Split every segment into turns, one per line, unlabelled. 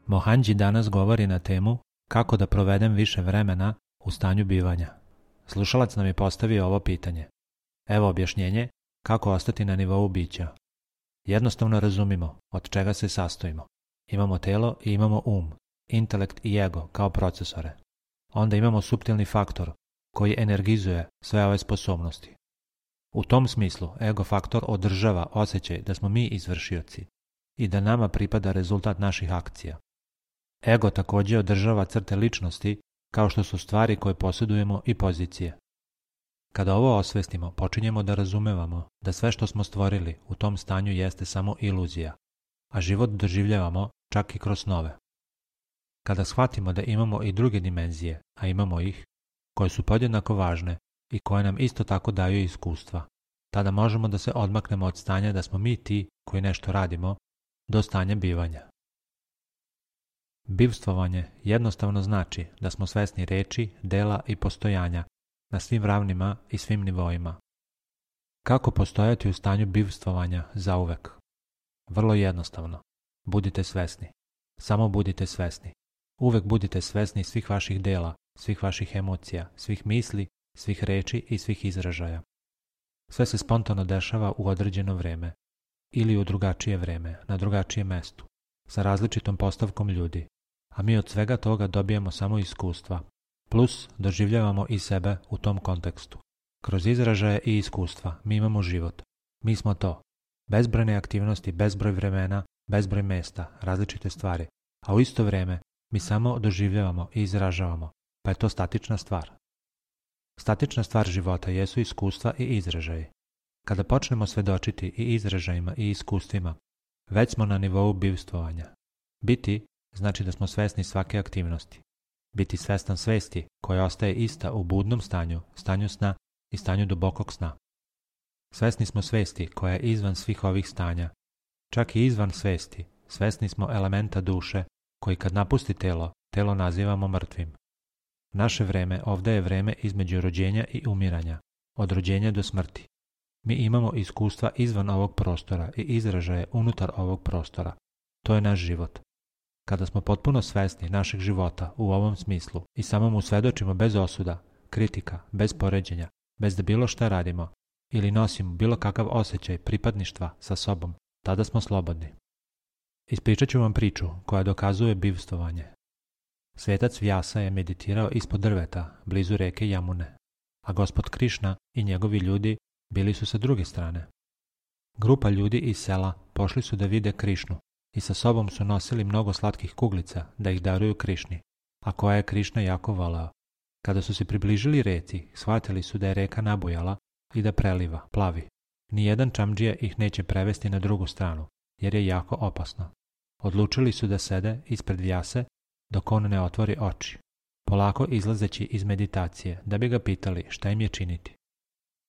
Mohanđi danas govori na temu kako da provedem više vremena u stanju bivanja. Slušalac nam je postavio ovo pitanje. Evo objašnjenje kako ostati na nivou bića. Jednostavno razumimo od čega se sastojimo. Imamo telo i imamo intelekt i ego kao procesore. Onda imamo suptilni faktor koji energizuje sve ove sposobnosti. U tom smislu ego faktor održava osjećaj da smo mi izvršioci i da nama pripada rezultat naših akcija. Ego također održava crte ličnosti kao što su stvari koje posjedujemo i pozicije. Kada ovo osvestimo, počinjemo da razumevamo da sve što smo stvorili u tom stanju jeste samo iluzija, a život doživljavamo čak i kroz snove. Kada shvatimo da imamo i druge dimenzije, a imamo ih, koje su podjednako važne i koje nam isto tako daju iskustva, tada možemo da se odmaknemo od stanja da smo mi ti koji nešto radimo, do stanja bivanja. Bivstvovanje jednostavno znači da smo svesni reči, dela i postojanja na svim ravnima i svim nivoima. Kako postojati u stanju bivstvovanja zauvek? Vrlo jednostavno. Budite svesni. Samo budite svesni. Uvek budite svesni svih vaših dela, svih vaših emocija, svih misli, svih reči i svih izražaja. Sve se spontano dešava u određeno vreme ili u drugačije vreme, na drugačijem mestu, sa različitom postavkom ljudi, a mi od svega toga dobijemo samo iskustva, plus doživljavamo i sebe u tom kontekstu. Kroz izražaje i iskustva mi imamo život. Mi smo to. Bezbrojne aktivnosti, bezbroj vremena, bezbroj mesta, različite stvari, a u isto vrijeme mi samo doživljavamo i izražavamo, pa je to statična stvar. Statična stvar života jesu iskustva i izražaji. Kada počnemo svedočiti i izražajima i iskustvima, već smo na nivou bivstvovanja. Biti znači da smo svesni svake aktivnosti. Biti svestan svesti koja ostaje ista u budnom stanju, stanju sna i stanju dubokog sna. Svesni smo svesti koja je izvan svih ovih stanja. Čak i izvan svesti, svesni smo elementa duše koji kad napusti telo, telo nazivamo mrtvim. Naše vreme ovdje je vreme između rođenja i umiranja, od rođenja do smrti. Mi imamo iskustva izvan ovog prostora i izražaje unutar ovog prostora. To je naš život. Kada smo potpuno svesni našeg života u ovom smislu i samo mu svedočimo bez osuda, kritika, bez poređenja, bez da bilo šta radimo ili nosimo bilo kakav osjećaj pripadništva sa sobom, tada smo slobodni. Ispričat ću vam priču koja dokazuje bivstvovanje. Svetac Vyasa je meditirao ispod drveta, blizu reke Jamune, a gospod Krišna i njegovi ljudi bili su sa druge strane. Grupa ljudi iz sela pošli su da vide Krišnu i sa sobom su nosili mnogo slatkih kuglica da ih daruju Krišni, a koja je Krišna jako voleo. Kada su se približili reci, shvatili su da je reka nabujala i da preliva, plavi. Nijedan čamdžija ih neće prevesti na drugu stranu, jer je jako opasno. Odlučili su da sede ispred Vyase dok on ne otvori oči, polako izlazeći iz meditacije da bi ga pitali šta im je činiti.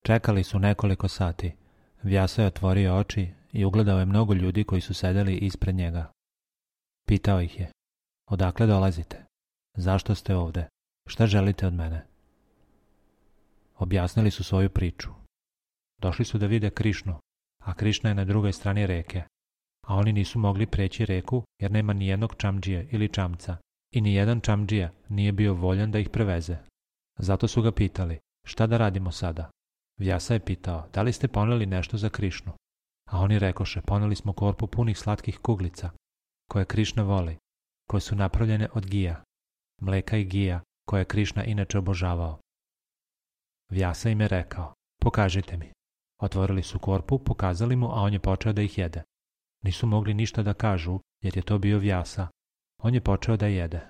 Čekali su nekoliko sati. Vyasa je otvorio oči i ugledao je mnogo ljudi koji su sedeli ispred njega. Pitao ih je, odakle dolazite? Zašto ste ovdje? Šta želite od mene? Objasnili su svoju priču. Došli su da vide Krišnu, a Krišna je na drugoj strani reke, a oni nisu mogli preći reku jer nema nijednog čamdžije ili čamca i nijedan čamdžija nije bio voljan da ih preveze. Zato su ga pitali, šta da radimo sada? Vyasa je pitao, da li ste poneli nešto za Krišnu? A oni rekoše, poneli smo korpu punih slatkih kuglica, koje Krišna voli, koje su napravljene od gija, mleka i gija, koje je Krišna inače obožavao. Vyasa im je rekao, pokažite mi. Otvorili su korpu, pokazali mu, a on je počeo da ih jede. Nisu mogli ništa da kažu, jer je to bio Vyasa. On je počeo da jede.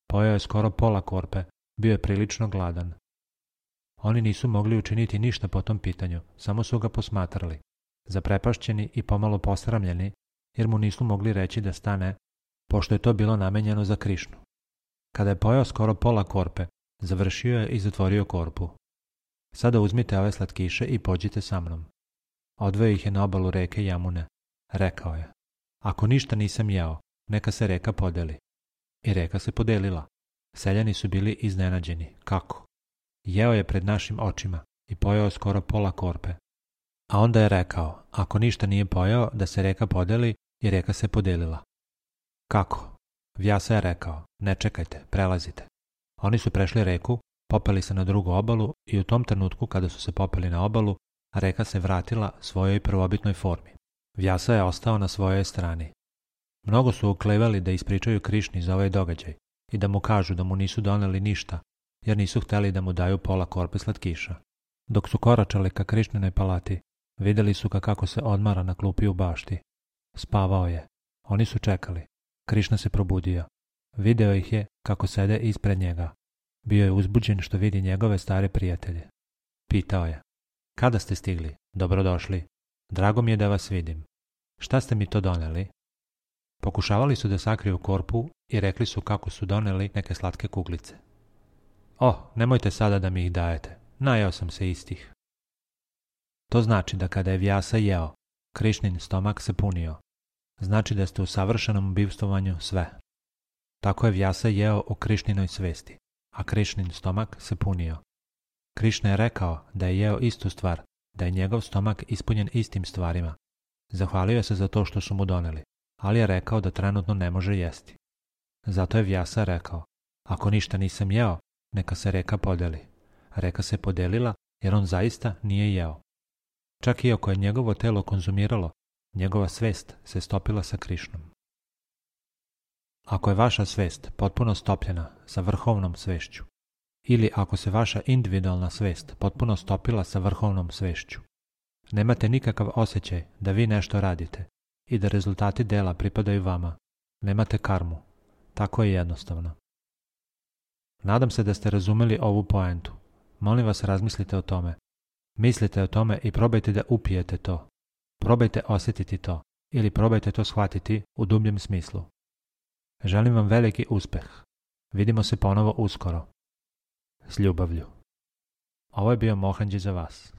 Pojeo je skoro pola korpe, bio je prilično gladan. Oni nisu mogli učiniti ništa po tom pitanju, samo su ga posmatrali, zaprepašćeni i pomalo posramljeni, jer mu nisu mogli reći da stane, pošto je to bilo namenjeno za Krišnu. Kada je pojeo skoro pola korpe, završio je i zatvorio korpu. Sada uzmite ove slatkiše i pođite sa mnom. Odveo ih je na obalu reke Jamune. Rekao je, ako ništa nisam jeo, neka se reka podeli. I reka se podelila. Seljani su bili iznenađeni. Kako? Jeo je pred našim očima i pojeo skoro pola korpe. A onda je rekao, ako ništa nije pojeo, da se reka podeli i reka se podelila. Kako? Vyasa je rekao, ne čekajte, prelazite. Oni su prešli reku, popeli se na drugu obalu i u tom trenutku kada su se popeli na obalu, reka se vratila svojoj prvobitnoj formi. Vyasa je ostao na svojoj strani. Mnogo su uklevali da ispričaju Krišni za ovaj događaj i da mu kažu da mu nisu doneli ništa, jer nisu hteli da mu daju pola korpe slatkiša. Dok su koračali ka Krišninoj palati, vidjeli su ga kako se odmara na klupi u bašti. Spavao je. Oni su čekali. Krišna se probudio. Video ih je kako sede ispred njega. Bio je uzbuđen što vidi njegove stare prijatelje. Pitao je, kada ste stigli? Dobrodošli. Drago mi je da vas vidim. Šta ste mi to doneli? Pokušavali su da sakriju korpu i rekli su kako su doneli neke slatke kuglice. Nemojte sada da mi ih dajete. Najeo sam se istih. To znači da kada je Vyasa jeo, Krišnin stomak se punio. Znači da ste u savršenom bivstvovanju sve. Tako je Vyasa jeo u Krišninoj svesti, a Krišnin stomak se punio. Krišna je rekao da je jeo istu stvar, da je njegov stomak ispunjen istim stvarima. Zahvalio se za to što su mu doneli, ali je rekao da trenutno ne može jesti. Zato je Vyasa rekao, ako ništa nisam jeo, neka se reka podeli. Reka se podelila jer on zaista nije jeo. Čak i ako je njegovo telo konzumiralo, njegova svest se stopila sa Krišnom. Ako je vaša svest potpuno stopljena sa vrhovnom svešću, ili ako se vaša individualna svest potpuno stopila sa vrhovnom svešću, nemate nikakav osjećaj da vi nešto radite i da rezultati dela pripadaju vama, nemate karmu. Tako je jednostavno. Nadam se da ste razumeli ovu poentu. Molim vas, razmislite o tome. Mislite o tome i probajte da upijete to. Probajte osjetiti to ili probajte to shvatiti u dubljem smislu. Želim vam veliki uspeh. Vidimo se ponovo uskoro. S ljubavlju. Ovo je bio Mohanđi za vas.